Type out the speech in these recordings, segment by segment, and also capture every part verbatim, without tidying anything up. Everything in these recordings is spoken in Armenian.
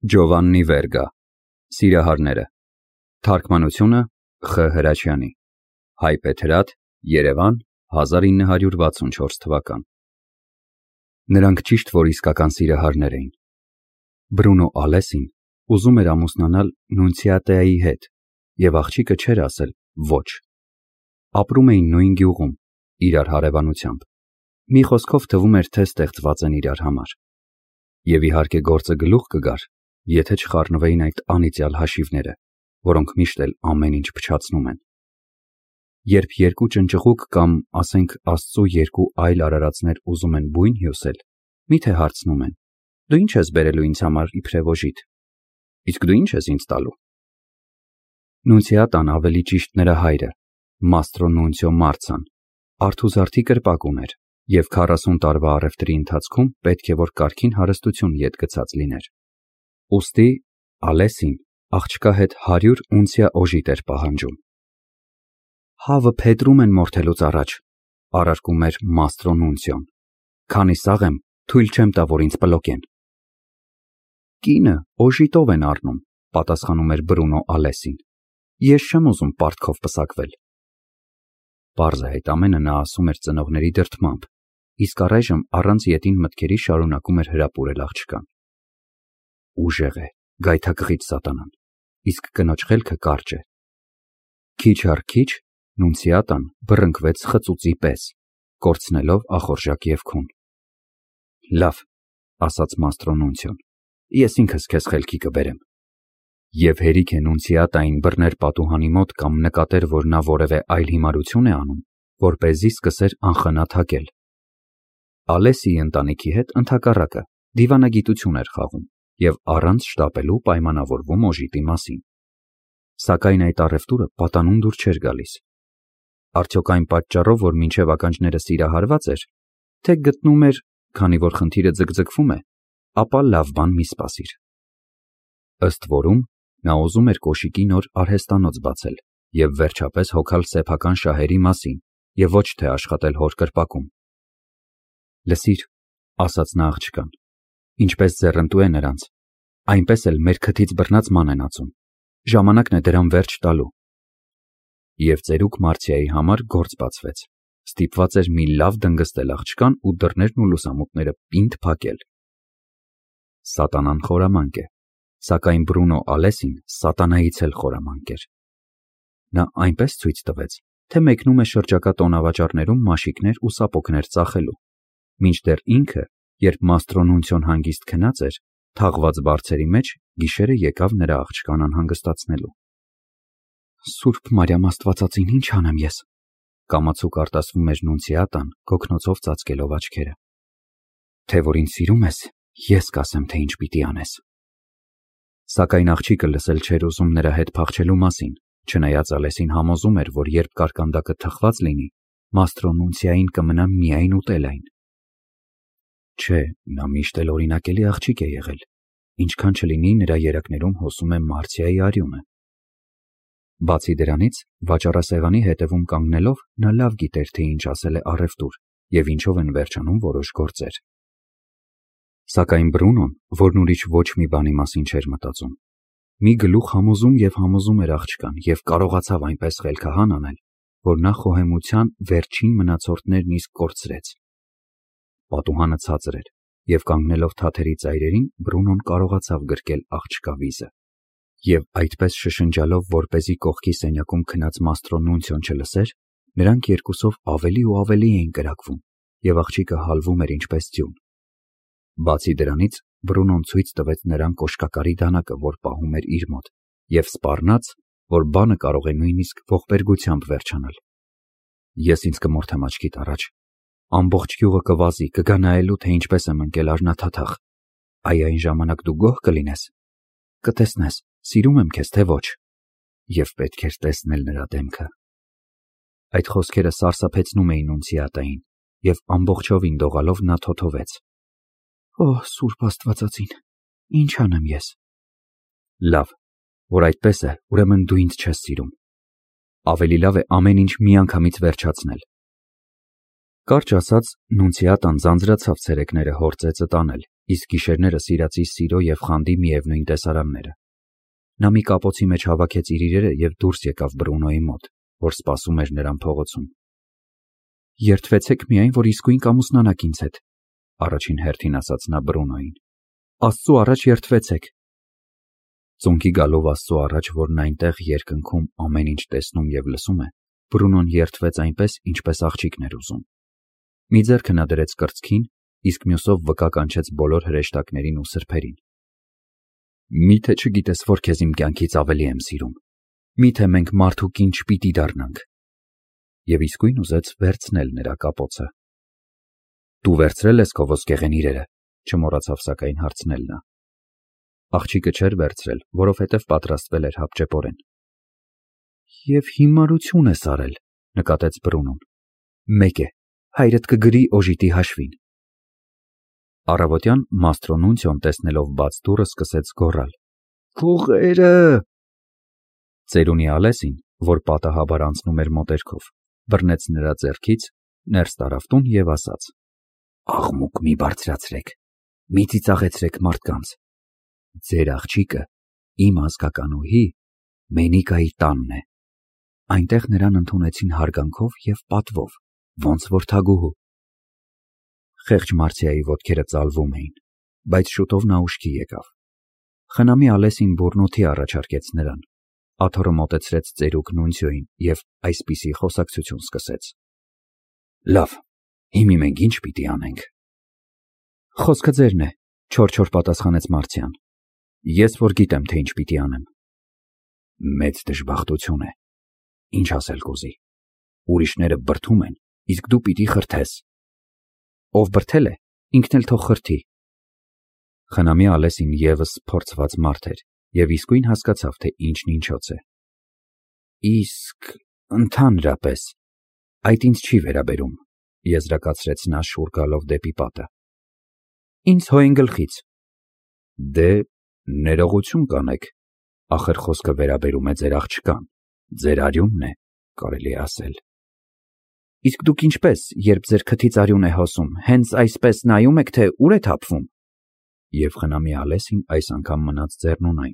Ջովաննի Վերգա, Սիրահարները, Թարգմանությունը Խ Հրաչյանի, Հայբեթրատ, Երևան, հազար ինը հարյուր վաթսունչորս թվական։ Նրանք ճիշտ որ իսկական սիրահարներ էին։ Բրունո Ալեսին ուզում էր ամուսնանալ Նունցիատեայի հետ, և աղջիկը չէր ասել ոչ։ Ապրում էին նույն գյուղում, իրար հարևանությամբ։ Մի խոսքով թվում էր, թե ստեղծված են իրար համար։ Եվ իհարկե գործը գլուխ կգար, եթե չխառնվեին այդ անիծյալ հաշիվները, որոնք միշտ էլ ամեն ինչ փչացնում են։ Երբ երկու ճնճղուկ կամ, ասենք, Աստծու երկու այլ արարածներ ուզում են բույն հյուսել, միթե հարցնում են. դու ինչ ես բերելու ինձ համար իբրև օժիտ, իսկ դու ինչ ես ինձ տալու։ Նունցիատան, ավելի ճիշտ նրա հայրը, Մաստրո Նունցիո Մարցան, արթուզարդի կրպակ ուներ և քառասուն տարվա առևտրի ընթացքում պետք է որ կարգին հարստություն ետ գցած լիներ։ Ուստի Ալեսին աղջկա հետ հարյուր ունցիա օժիտ էր պահանջում։ Հավը փետրում են մորթելուց առաջ, առարկում էր Մաստրո Նունցիոն, քանի սաղ եմ, թույլ չեմ տա, որ ինձ պլոկեն։ Կինը օժիտով են առնում, պատասխանում էր Բրունո Ալեսին, ես չեմ ուզում պարտքով պսակվել։ Պարզ է, այդ ամենը նա ասում էր ծնողների դրդմամբ, իսկ առայժմ առանց ետին մտքերի շարունակում էր հրապուրել աղջկան։ Ուժեղ է, գայթակղիչ սատանան, իսկ կնոջ խելքը կարճ է։ Քիչ առ քիչ Նունցիատան բռնկվեց խծուծի պես, կորցնելով ախորժակ ևքուն։ Լավ, ասաց Մաստրո Նունցիոն, ես ինքս քեզ խելքի կբերեմ։ Եվ հերիք է Նունցիատային բռներ պատուհանի մոտ կամ նկատեր, որ նա որևէ այլ հիմարություն է անում, որպեսզի սկսեր անխնա թակել։ Ալեսիի ընտանիքի հետ ընդհակառակը դիվանագիտություն էր խաղում և առանց շտապելու պայմանավորվում օժիտի մասին։ Սակայն այդ առևտուրը պատանուն դուր չէր գալիս։ Արդյոք այն պատճառով, որ մինչև ականջները սիրահարված էր, թե գտնում էր, քանի որ խնդիրը ձգձգվում է, ապա լավ բան մի սպասիր։ Ըստ որում, նա ուզում էր կոշիկի նոր արհեստանոց բացել և վերջապես հոգալ սեփական շահերի մասին և ոչ թե աշխատել հոր կրպակում։ Լսիր, ասաց նա աղջկան, ինչպես ձեռնտու է նրանց, այնպես էլ մեր քթից բռնած ման են ածում, ժամանակն է դրան վերջ տալու։ Եվ ծերուկ Մարցիայի համար գործ բացվեց, ստիպված էր մի լավ դնգստել աղջկան ու դռներն ու լուսամուտները պինդ փակել։ Սատանան խորամանկ է, սակայն Բրունո Ալեսին սատանայից էլ խորամանկ էր։ Նա այնպես ցույց տվեց, թե մեկնում է շրջակա տոնավաճառներում մաշիկներ ու սապոգներ ծախելու, մինչդեռ ինքը, երբ Մաստրո Նունցիոն հանգիստ քնած էր, թաղված բարձերի մեջ գիշերը եկավ նրա աղջկան անհանգստացնելու։ Սուրբ Մարիամ Աստվածածին, ինչ անեմ ես, կամացուկ արտասվում էր Նունցիատան, գոգնոցով ծածկելով աչքերը։ Թե որ ինձ սիրում ես, ես կասեմ, թե ինչ պիտի անես։ Սակայն աղջիկը լսել չէր ուզում նրա հետ փախչելու մասին, չնայած Ալեսին համոզում էր, որ երբ կարկանդակը թխված լինի, Մաստրո Նունցիային կմնա միայն ուտել այն։ Չէ, նա միշտ էլ օրինակելի աղջիկ է եղել, ինչքան չլինի նրա երակներում հոսում է Մարցիայի արյունը։ Բացի դրանից, վաճառասեղանի հետևում կանգնելով, նա լավ գիտեր, թե ինչ ասել է առևտուր և ինչով են վերջանում որոշ գործեր։ Սակայն Բրունոն, որն ուրիշ ոչ մի բանի մասին չէր մտածում, մի գլուխ համոզում և համոզում էր աղջկան և կարողացավ այնպես խելքահան անել, որ նա խոհեմության վերջին մնացորդներն իսկ կորցրեց։ Պատուհանը ցածր էր, և կանգնելով թաթերի ծայրերին, Բրունոն կարողացավ գրկել աղջկա վիզը։ Եվ այդպես շշնջալով, որպեսզի կողքի սենյակում քնած Մաստրո Նունցիոն չլսեր, նրանք երկուսով ավելի ու ավելի էին կրակվում, և աղջիկը հալվում էր ինչպես ձյուն։ Բացի դրանից, Բրունոն ցույց տվեց նրան կոշկակարի դանակը, որ պահում էր իր մոտ, և սպառնաց, որ բանը կարող է նույնիսկ ողբերգությամբ վերջանալ։ Ես ինձ կմորթեմ աչքիդ առաջ, ամբողջ գյուղը կվազի, կգա նայելու, թե ինչպես եմ ընկել արնաթաթախ, այ այն ժամանակ դու գոհ կլինես, կտեսնես, սիրում եմ քեզ, թե ոչ։ Եվ պետք էր տեսնել նրա դեմքը։ Այդ խոսքերը սարսափեցնում էին Նունցիատային, և ամբողջովին դողալով նա թոթովեց. Օ, Սուրբ Աստվածածին, ինչ անեմ ես։ Լավ, որ այդպես է, ուրեմն դու ինձ չես սիրում։ Ավելի լավ է ամեն ինչ միանգամից վերջացնել։ Կարճ ասած, Նունցիատան ձանձրացավ ցերեկները հոր ծեծը տանել, իսկ գիշերները սիրածի սիրո և խանդի միևնույն տեսարանները։ Նա մի կապոցի մեջ հավաքեց իր իրերը և դուրս եկավ Բրունոյի մոտ, որ սպասում էր նրան փողոցում։ Երդվեցեք միայն, որ իսկույն կամուսնանաք ինձ հետ, առաջին հերթին ասաց նա Բրունոյին։ Աստծու առաջ երդվեցեք։ Ծունկի գալով Աստծու առաջ, որն այնտեղ երկնքում ամեն ինչ տեսնում և լսում է, Բրունոն երդվեց այնպես, ինչպես աղջիկն էր ուզում։ Մի ձեռքը նա դրեց կրծքին, իսկ մյուսով վկա կանչեց բոլոր հրեշտակներին ու սրբերին։ Մի՞թե չգիտես, որ քեզ իմ կյանքից ավելի եմ սիրում։ Մի՞թե մենք մարդ ու կին չպիտի դառնանք։ Եվ իսկույն ուզեց վերցնել նրա կապոցը։ Դու վերցրել ես քո ոսկեղեն իրերը, չմոռացավ սակայն հարցնել նա։ Աղջիկը չէր վերցրել, որովհետև պատրաստվել էր հապճեպորեն։ Եվ հիմարություն ես արել, նկատեց Բրունոն։ Մեկ է, հայրդ կգրի օժիտի հաշվին։ Առավոտյան Մաստրո Նունցիոն տեսնելով բաց դուռը սկսեց գոռալ. Փողերը։ Ծերունի Ալեսին, որ պատահաբար անցնում էր մոտերքով, բռնեց նրա ձեռքից, ներս տարավ տուն և ասաց. Աղմուկ մի բարձրացրեք, մի ծիծաղեցրեք մարդկանց։ Ձեր աղջիկը իմ ազգականուհի Մենիկայի տանն է։ Այնտեղ նրան ընդունեցին հարգանքով և պատվով, ոնց որ թագուհու։ Խեղճ Մարցիայի ոտքերը ծալվում էին, բայց շուտով նա ուշքի եկավ։ Խնամի Ալեսին բուռնոթի առաջարկեց նրան, աթոռը մոտեցրեց ծերուկ Նունցիոին և այսպիսի խոսակցություն սկսեց. Լավ, հիմա մենք ինչ պիտի անենք։ Խոսքը ձերն է, չոր-չոր պատասխանեց Մարցիան։ Ես որ գիտեմ, թե ինչ պիտի անեմ։ Մեծ դժբախտություն է։ Ինչ ասել կուզի։ Ուրիշները բրդում են, իսկ դու պիտի խրթես։ Ով բրդել է, ինքն էլ թող խրթի։ Խնամի Ալեսին ևս փորձված մարդ էր և իսկույն հասկացավ, թե ինչն ինչոց է։ Իսկ ընդհանրապես այդ ինձ չի վերաբերում, եզրակացրեց նա շուռ գալով դեպի պատը։ Ինձ հո այն գլխից։ Դե ներողություն կանեք, ախր խոսքը վերաբերում է ձեր աղջկան, ձեր արյունն է, կարելի է ասել։ Իսկ դուք ինչպես, երբ ձեր քթից արյուն է հոսում, հենց այսպես նայում եք, թե ուր է թափվում։ Եվ խնամի Ալեսին այս անգամ մնաց ձեռնունայն։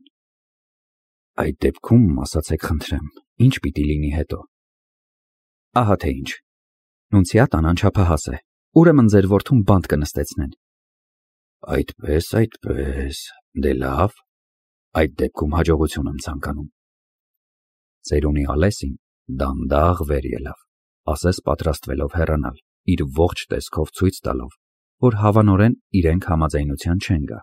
Այդ դեպքում, ասացեք խնդրեմ, ինչ պիտի լինի հետո։ Ահա թե ինչ։ Նունցիատան անչափահաս է, ուրեմն ձեր որդուն բանտ կնստեցնեն։ Այդպես, այդպես, դե լավ, այդ դեպքում հաջողություն եմ ցանկանում։ Ծերունի Ալեսին դանդաղ վեր ելավ, ասես պատրաստվելով հեռանալ, իր ողջ տեսքով ցույց տալով, որ հավանորեն իրենք համաձայնության չեն գա։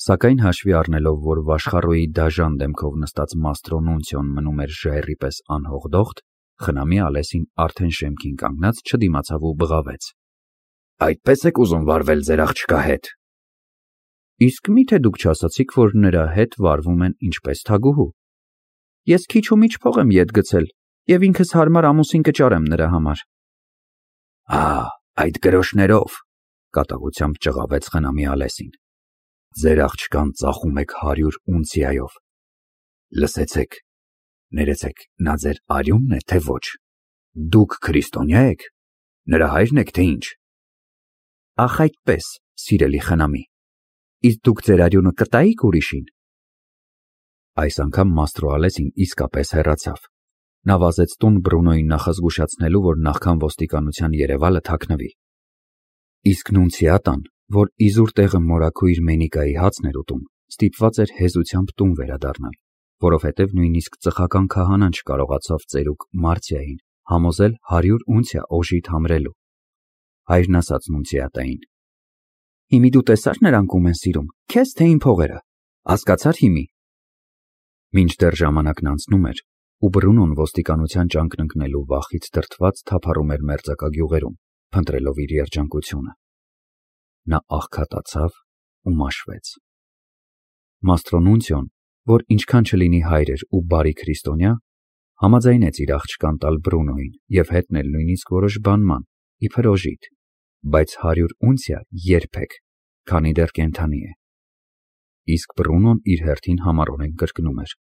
Սակայն հաշվի առնելով, որ Վաշխառոյի դաժան դեմքով նստած Մաստրո Նունցիոն մնում էր ժայռի պես անհողդողդ, խնամի Ալեսին արդեն շեմքին կանգնած չդիմացավ ու բղավեց. Այդպես եք ուզում վարվել ձեր աղջկա հետ։ Իսկ մի՞թե դուք չասացիք, որ նրա հետ վարվում են ինչպես թագուհու։ Ես քիչ ու միչ փող եմ ետ գցել և ինքս հարմար ամուսին կճարեմ նրա համար։ Ահ, այդ գրոշներով, կատաղությամբ ճղավեց խնամի Ալեսին։ Ձեր աղջկան ծախում եք հարյուր ունցիայով։ Լսեցեք, ներեցեք, նա ձեր արյունն է, թե ոչ։ Դուք քրիստոնյա եք, նրա հայրն եք, թե ինչ։ Ախ այդպես, սիրելի խնամի, իսկ դուք ձեր արյունը կտայիք ուրիշին։ Այս անգամ Մաստրո Ալեսին իսկապես հեռացավ։ Նա վազեց տուն Բրունոյին նախազգուշացնելու, որ նախքան ոստիկանության երևալը թաքնվի։ Իսկ Նունցիատան, որ իզուր տեղը մորաքույր Մենիկայի հացն էր ուտում, ստիպված էր հեզությամբ տուն վերադառնալ, որովհետև նույնիսկ ծխական քահանան չկարողացավ ծերուկ Մարցիային համոզել հարյուր ունցիա օժիտ համրելու։ Հայրն ասաց Նունցիատային. Հիմի դու տեսա՞ր նրանք ում են սիրում, քեզ թե իմ փողերը, հասկացա՞ր հիմի։ Մինչդեռ ժամանակն անցնում էր, ու Բրունոն ոստիկանության ճանկն ընկնելու վախից դրդված թափառում էր մերձակա փնտրելով իր երջանկությունը։ Նա աղքատացավ ու մաշվեց։ Մաստրո Նունցիոն, որ ինչքան չլինի հայր էր ու բարի քրիստոնյա, համաձայնեց իր աղջկան տալ Բրունոյին և հետնել նույնիսկ որոշ բանման, իբր օժիտ, բայց հարյուր ունցիա երբեք, քանի դեռ կենդանի է։ Իսկ Բրունոն իր հերթին համառորեն կրկնում էր.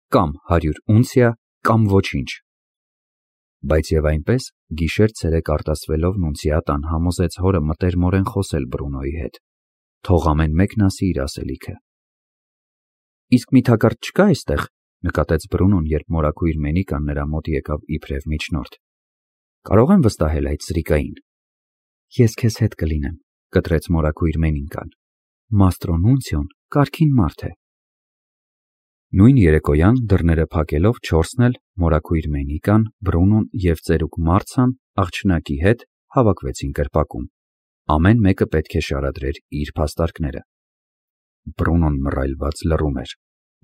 Կամ հարյուր ունցիա, կամ ոչինչ։ Բայց եւ այնպես գիշեր-ցերեկ արտասվելով Նունցիատան համոզեց հորը մտերմորեն խոսել Բրունոյի հետ, թող ամեն մեկն ասի իր ասելիքը։ Իսկ մի թակարդ չկա այստեղ, նկատեց Բրունոն, երբ մորաքույր Մենիկան նրա մոտ եկավ իբրև միջնորդ։ Կարող եմ վստահել այդ սրիկային։ Ես քեզ հետ կլինեմ, կտրեց մորաքույր Մենիկան։ Մաստրո Նունցիոն կարգին մարդ է։ Նույն երեկոյան դռները փակելով չորսն էլ մորաքույր Մենիկան, Բրունոն եւ ծերուկ Մարցան աղջնակի հետ հավաքվեցին կրպակում։ Ամեն մեկը պետք է շարադրեր իր փաստարկները։ Բրունոն մռայլված լռում էր։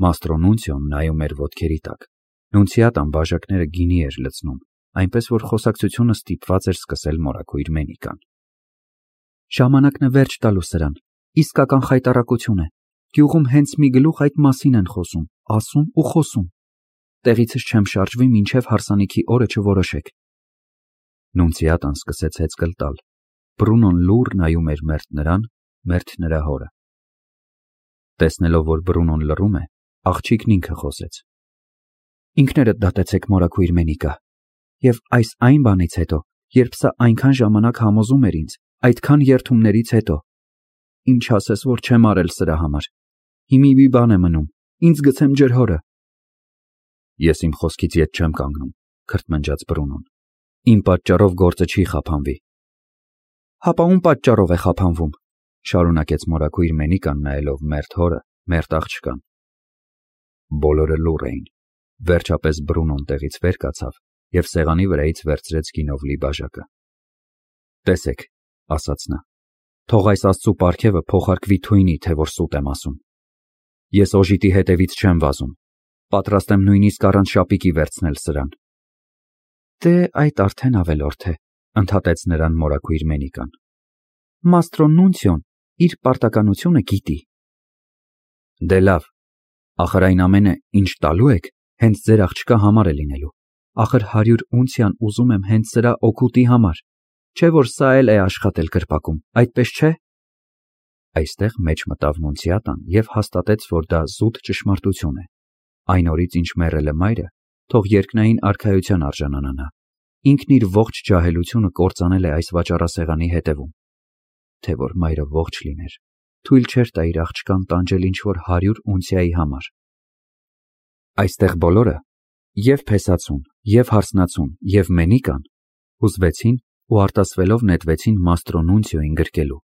Մաստրո Նունցիոն նայում էր ոտքերի տակ։ Նունցիատան բաժակները գինի էր լցնում, այնպես որ խոսակցությունը ստիպված էր սկսել մորաքույր Մենիկան։ Ժամանակն է վերջ տալու սրան, իսկական խայտառակություն է։ Գյուղում հենց մի գլուխ այդ մասին են խոսում, ասում ու խոսում։ Տեղիցս չեմ շարժվի, մինչև հարսանիքի օրը չորոշեք։ Նունցիատան սկսեց հեծկլ տալ։ Բրունոն լուռ նայում էր մերթ նրան, մերթ նրա հորը։ Տեսնելով, որ Բրունոն լռում է, աղջիկն ինքը խոսեց։ Ինքներդ դատեցեք մորաքույր Մենիկա, եւ այս այն բանից հետո, երբ սա այնքան ժամանակ համոզում էր ինձ, այդքան երթումներից հետո, ինչ ասես, որ չեմ արել սրա համար։ Հիմի մի բան է մնում, ինձ գցեմ ջրհորը։ Ես իմ խոսքից ետ չեմ կանգնում, քրթմնջաց Բրունոն։ Իմ պատճառով գործը չի խափանվի։ Հապա ում պատճառով է խափանվում, շարունակեց մորաքույր Մենիկան նայելով մերթ հորը, մերթ աղջկան։ Բոլորը լուռ էին։ Վերջապես Բրունոն տեղից վեր կացավ եւ սեղանի վրայից վերցրեց գինով լի բաժակը։ Տեսեք, ասաց նա, թող այս աստծու պարգևը փոխարկվի թույնի, թե որ սուտ եմ ասում։ Ես օժիտի հետևից չեմ վազում, պատրաստ եմ նույնիսկ առանց շապիկի վերցնել սրան։ Դե այդ արդեն ավելորդ է, ընդհատեց նրան մորաքույր Մենիկան։ Մաստրո Նունցիոն իր պարտականությունը գիտի։ Դե լավ, ախր այն ամենը, ինչ տալու եք, հենց ձեր աղջկա համար է լինելու։ Ախր հարյուր ունցիան ուզում եմ հենց սրա օգուտի համար, չէ որ սա էլ է աշխատել կրպակում, այդպես չէ։ Այստեղ մեջ մտավ Նունցիատան եւ հաստատեց, որ դա զուտ ճշմարտություն է։ Այն օրից ինչ մեռել է մայրը, թող երկնային արքայության արժանանա նա։ Ինքն իր ողջ ջահելությունը կործանել է այս վաճառասեղանի հետևում։ Թե որ մայրը ողջ լիներ, թույլ չէր տա իր աղջկան տանջել ինչ-որ հարյուր ունցիայի համար։ Այստեղ բոլորը, եւ Փեսացուն, եւ Հարսնացուն, եւ Մենիկան, հուզվեցին ու արտասվելով նետվեցին Մաստրո Նունցիոին գրկելու։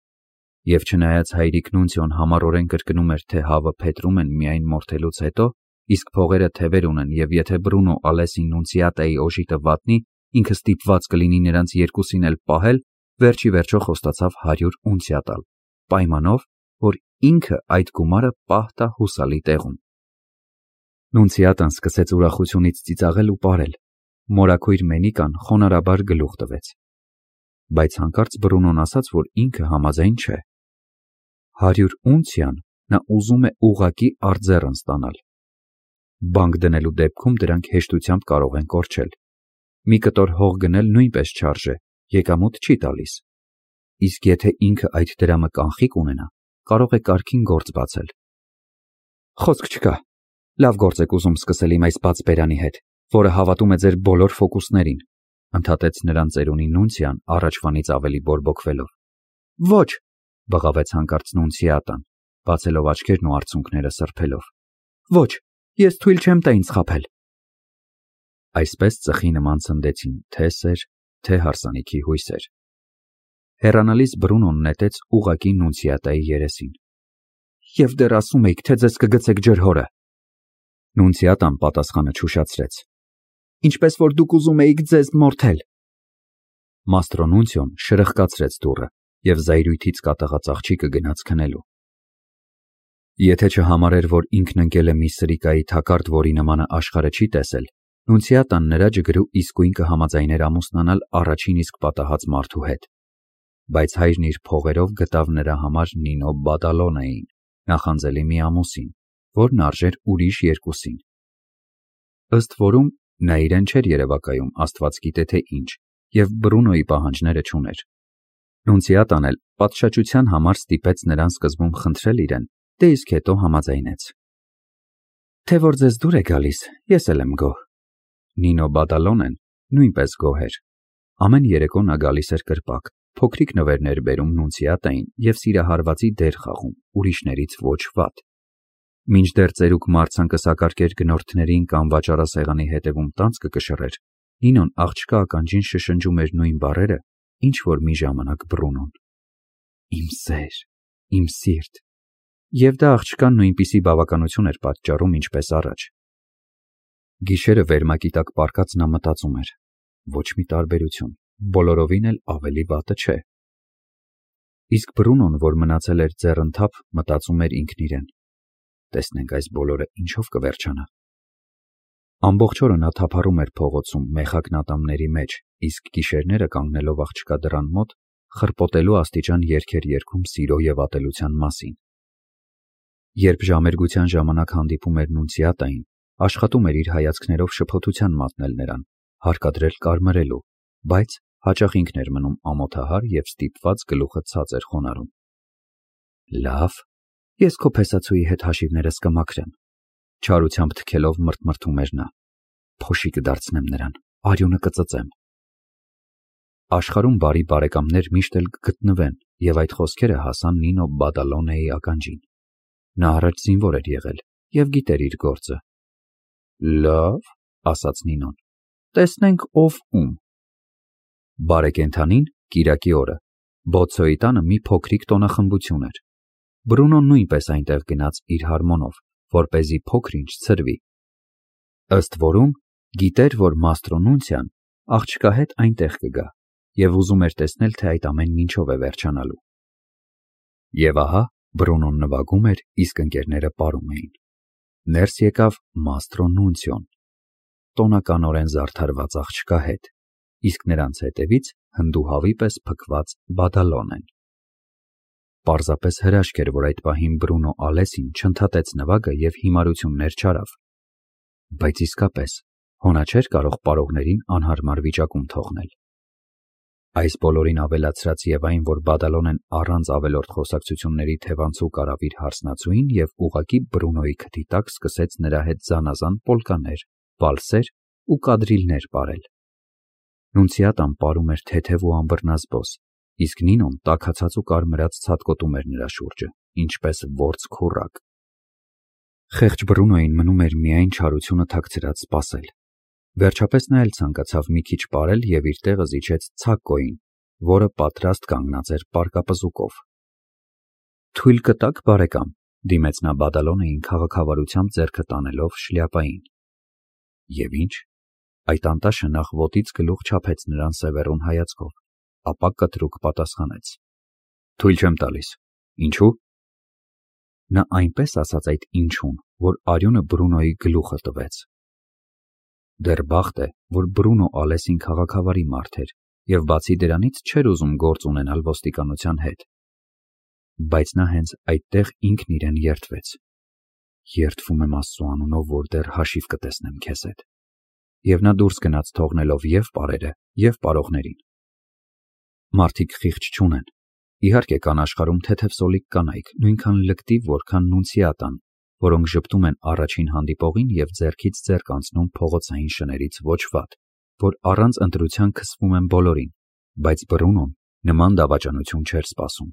Եվ չնայած հայրիկ Նունցիոն համառորեն կրկնում էր, թե հավը փետրում են միայն մորթելուց հետո, իսկ փողերը թևեր ունեն, եւ եթե Բրունո Ալեսին Նունցիատայի օժիտը վատնի, ինքը ստիպված կլինի նրանց երկուսին էլ պահել, վերջի վերջո խոստացավ հարյուր ունցիա տալ, պայմանով, որ ինքը այդ գումարը պահ տա հուսալի տեղում։ Նունցիատան սկսեց ուրախությունից ծիծաղել ու պարել։ Մորաքույր Մենիկան խոնարհաբար գլուխ տվեց։ Բայց հանկարծ Բրունոն ասաց, որ ինքը համաձայն չէ։ Հարյուր ունցիան նա ուզում է ուղղակի արձեռն ստանալ։ Բանկ դնելու դեպքում դրանք հեշտությամբ կարող են կորչել։ Մի կտոր հող գնել նույնպես չարժե, եկամուտ չի տալիս։ Իսկ եթե ինքը այդ դրամը կանխիկ ունենա, կարող է կարգին գործ բացել։ Խոսք չկա։ Լավ գործ եք ուզում սկսել իմ այս բաց բերանի հետ, որը հավատում է ձեր բոլոր ֆոկուսներին, ընդհատեց նրան ծերունի Նունցիան առաջվանից ավելի բորբոքվելով։ Ոչ, բղավեց հանկարծ Նունցիատան, բացելով աչքերն ու արցունքները սրբելով։ Ոչ, ես թույլ չեմ տա ինձ խաբել։ Այսպես ծխի նման ցնդեցին թե սեր, թե հարսանիքի հույսեր։ Հեռանալիս Բրունոն նետեց ուղակի Նունցիատայի երեսին։ Եվ դեռ ասում եք, թե ձեզ կգցեք ջրհորը։ Նունցիատան պատասխանը չուշացրեց։ Ինչպես որ դուք ուզում էիք ձեզ մորթել։ Մաստրո Նունցիոն շրխկացրեց դուռը եւ զայրույթից կատաղած աղջիկը գնաց քնելու։ Եթե չհամարեր, որ ինքն ընկել է մի սրիկայի թակարդ, որի նմանը աշխարհը չի տեսել, Նունցիատան նրա ջգրու իսկույն կհամաձայներ ամուսնանալ առաջին իսկ պատահած մարդու հետ։ Բայց հայրն իր փողերով գտավ նրա համար Նինո Բադալոնեին, նախանձելի մի ամուսին, որն արժեր ուրիշ երկուսին։ Ըստ որում նա իրեն չէր երևակայում աստված գիտե թե ինչ, եւ Բրունոյի պահանջները չուներ։ Նունցիատան էլ պատշաճության համար ստիպեց նրան սկզբում խնդրել իրեն, դե իսկ հետո համաձայնեց։ Թե որ ձեզ դուր է գալիս, ես էլ եմ գոհ։ Նինո Բադալոնեն նույնպես գոհ էր։ Ամեն երեկո նա գալիս էր կրպակ, փոքրիկ նվերներ բերում Նունցիատային և սիրահարվածի դեր խաղում, ուրիշներից ոչ վատ։ Մինչդեռ ծերուկ Մարցան կսակարկեր գնորդներին կամ վաճառասեղանի հետևում տանձ կկշռեր, Նինոն աղջկա ականջին շշնջում էր նույն բառերը, ինչ որ մի ժամանակ Բրունոն. «Իմ սեր, իմ սիրտ», և դա աղջկան նույնպիսի բավականություն էր պատճառում, ինչպես առաջ։ Գիշերը վերմակի տակ պառկած նա մտածում էր. ոչ մի տարբերություն, բոլորովին էլ ավելի վատը չէ։ Իսկ Բրունոն, որ մնացել էր ձեռընթափ, մտածում էր ինքն իրեն. տեսնենք այս բոլորը ինչով կվերջանա։ Ամբողջ օրը նա թափառում էր փողոցում մեխակնատամների մեջ, իսկ գիշերները կանգնելով աղջկա դռան մոտ, խրպոտելու աստիճան երգեր երգում սիրո և ատելության մասին։ Երբ ժամերգության ժամանակ հանդիպում էր Նունցիատային, աշխատում էր իր հայացքներով շփոթության մատնել նրան, հարկադրել կարմրելու, բայց հաճախ ինքն էր մնում ամոթահար և ստիպված գլուխը ցած էր խոնարհում։ Լավ, ես քո փեսացուի հետ հաշիվներս կմաքրեմ, չարությամբ թքելով մրթմրթում էր նա, փոշի կդարձնեմ նրան, արյունը կծծեմ։ Աշխարհում բարի բարեկամներ միշտ էլ կգտնվեն, և այդ խոսքերը հասան Նինո Բադալոնեի ականջին։ Նա առաջ զինվոր էր եղել և գիտեր իր գործը։ Լավ, ասաց Նինոն, տեսնենք ով ում։ Բարեկենդանին կիրակի օրը Բոցոյի տանը մի փոքրիկ տոնախմբություն էր։ Բրունոն նույնպես այնտեղ գնաց իր հարմոնով, որպեսզի փոքր-ինչ ցրվի։ Ըստ որում գիտեր, որ Մաստրո Նունցիան աղջկա հետ այնտեղ կգա և ուզում էր տեսնել, թե այդ ամենն ինչով է վերջանալու։ Եվ ահա Բրունոն նվագում էր, իսկ ընկերները պարում էին։ Ներս եկավ Մաստրո Նունցիոն, տոնականորեն զարդարված աղջկա հետ, իսկ նրանց հետևից հնդուհավի պես փքված Բադալոնեն։ Պարզապես հրաշք էր, որ այդ պահին Բրունո Ալեսին չընդհատեց նվագը և հիմարություններ չարավ։ Բայց իսկապես, հոնա չէր կարող պարողներին անհարմար վիճակում թողնել։ Այս բոլորին ավելացրած և այն, որ Բադալոնեն առանց ավելորդ խոսակցությունների թևանցուկ արավ իր հարսնացուին և ուղղակի Բրունոյի քթի տակ սկսեց նրա հետ զանազան պոլկաներ, վալսեր ու կադրիլներ պարել։ Նունցիատան պարում էր թեթև ու անբռնազբոս, իսկ Նինոն տաքացած ու կարմրած ցատկոտում էր նրա շուրջը, ինչպես որձ քուռակ։ Խեղճ Բրունոյին մնում էր միայն չարությունը թաքցրած սպասել։ Վերջապես նա էլ ցանկացավ մի քիչ պարել և իր տեղը զիջեց Ցակկոյին, որը պատրաստ կանգնած էր պարկապզուկով։ Թույլ կտա՞ք, բարեկամ, դիմեց նա Բադալոնեին քաղաքավարությամբ ձեռքը տանելով շլյապային։ Եվ ինչ, այդ անտաշը նախ ոտից գլուխ չափեց նրան սևեռուն հայացքով, ապա կտրուկ պատասխանեց. Թույլ չեմ տալիս։ Ինչու՞։ Նա այնպես ասաց այդ ինչուն, որ արյունը Բրունոյի գլուխը տվեց։ Դեռ բախտ է, որ Բրունո Ալեսին քաղաքավարի մարդ էր և բացի դրանից չէր ուզում գործ ունենալ ոստիկանության հետ։ Բայց նա հենց այդտեղ ինքն իրեն երդվեց. երդվում եմ Աստծու անունով, որ դեռ հաշիվ կտեսնեմ քեզ հետ։ Եվ նա դուրս գնաց թողնելով և պարերը, և պարողներին։ Մարդիկ խիղճ չունեն։ Իհարկե կան աշխարհում թեթևսոլիկ կանայք, նույնքան լկտի, որքան Նունցիատան, որոնք ժպտում են առաջին հանդիպողին և ձեռքից ձեռք անցնում փողոցային շներից ոչ վատ, որ առանց ընտրության քսվում են բոլորին, բայց Բրունոն նման դավաճանություն չէր սպասում։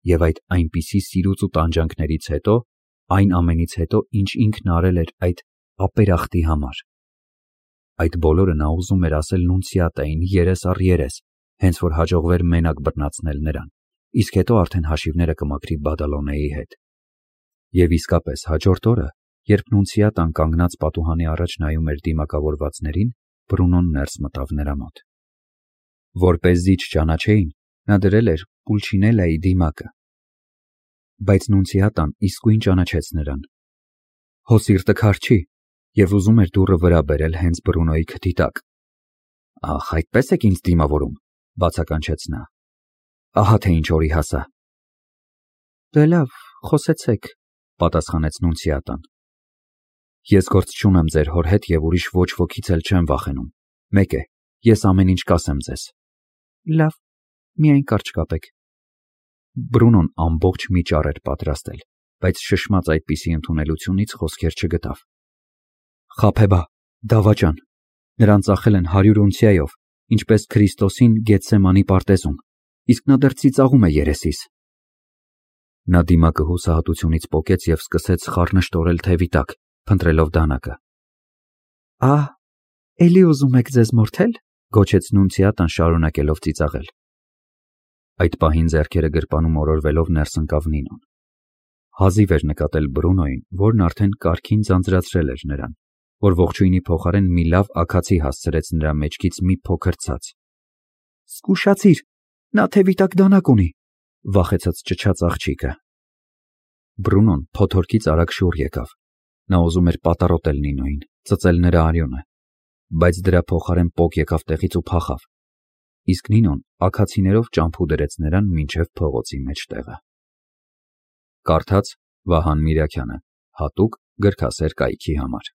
Եվ այդ այնպիսի սիրուց ու տանջանքներից հետո, այն ամենից հետո, ինչ ինքն արել էր այդ ապերախտի համար։ Այդ բոլորը նա ուզում էր ասել Նունցիատային երես առ երես, հենց որ հաջողվեր մենակ բռնացնել նրան, իսկ հետո արդեն հաշիվները կմաքրի Բադալոնեի հետ։ Եվ իսկապես հաջորդ օրը, երբ Նունցիատան կանգնած պատուհանի առաջ նայում էր դիմակավորվածներին, Բրունոն ներս մտավ նրա մոտ։ Որպեսզի չճանաչեին, նա դրել էր Պուլչինելայի դիմակը։ Բայց Նունցիատան իսկույն ճանաչեց նրան։ Հո սիրտը քար չի, և ուզում էր դուռը վրա բերել հենց Բրունոյի քթի տակ։ Ախ, այդպես եք ինձ դիմավորում, բացականչեց նա։ Ահա թե ինչ օրի հասա։ Դե լավ, խոսեցեք, պատասխանեց Նունցիատան։ Ես գործ չունեմ ձեր հոր հետ և ուրիշ ոչ ոքից էլ չեմ վախենում։ Մեկ է, ես ամեն ինչ կասեմ ձեզ։ Լավ, միայն կարճ կապեք։ Բրունոն ամբողջ մի ճառ էր պատրաստել, բայց շշմած այդպիսի ընդունելությունից խոսքեր չգտավ։ Խաբեբա, դավաճան, Նրան ծախել են հարյուր ունցիայով, ինչպես Քրիստոսին Գեթսեմանի պարտեզում, իսկ նա դեռ ծիծաղում է երեսիս։ Նա դիմակը հուսահատությունից պոկեց և սկսեց խառնշտորել թևի տակ, փնտրելով դանակը։ Ահ, էլի ուզում եք ձեզ մորթել, գոչեց Նունցիատան շարունակելով ծիծաղել։ Այդ պահին ձեռքերը գրպանում օրորվելով ներս ընկավ Նինոն։ Հազիվ էր նկատել Բրունոյին, որն արդեն կարգին ձանձրացրել էր նրան, որ ողջույնի փոխարեն մի լավ աքացի հասցրեց նրա մեջքից մի փոքր ցած։ Զգուշացիր, նա թևի տակ դանակ ունի, վախեցած ճչաց աղջիկը։ Բրունոն փոթորկից արագ շուռ եկավ։ Նա ուզում էր պատառոտել Նինոյին, ծծել նրա արյունը, բայց դրա փոխարեն պոկ եկավ տեղից ու փախավ, իսկ Նինոն աքացիներով ճամփու դրեց նրան մինչև փողոցի մեջտեղը։ Կարդաց Վահան Միրաքյանը, հատուկ գրքասեր կայքի համար։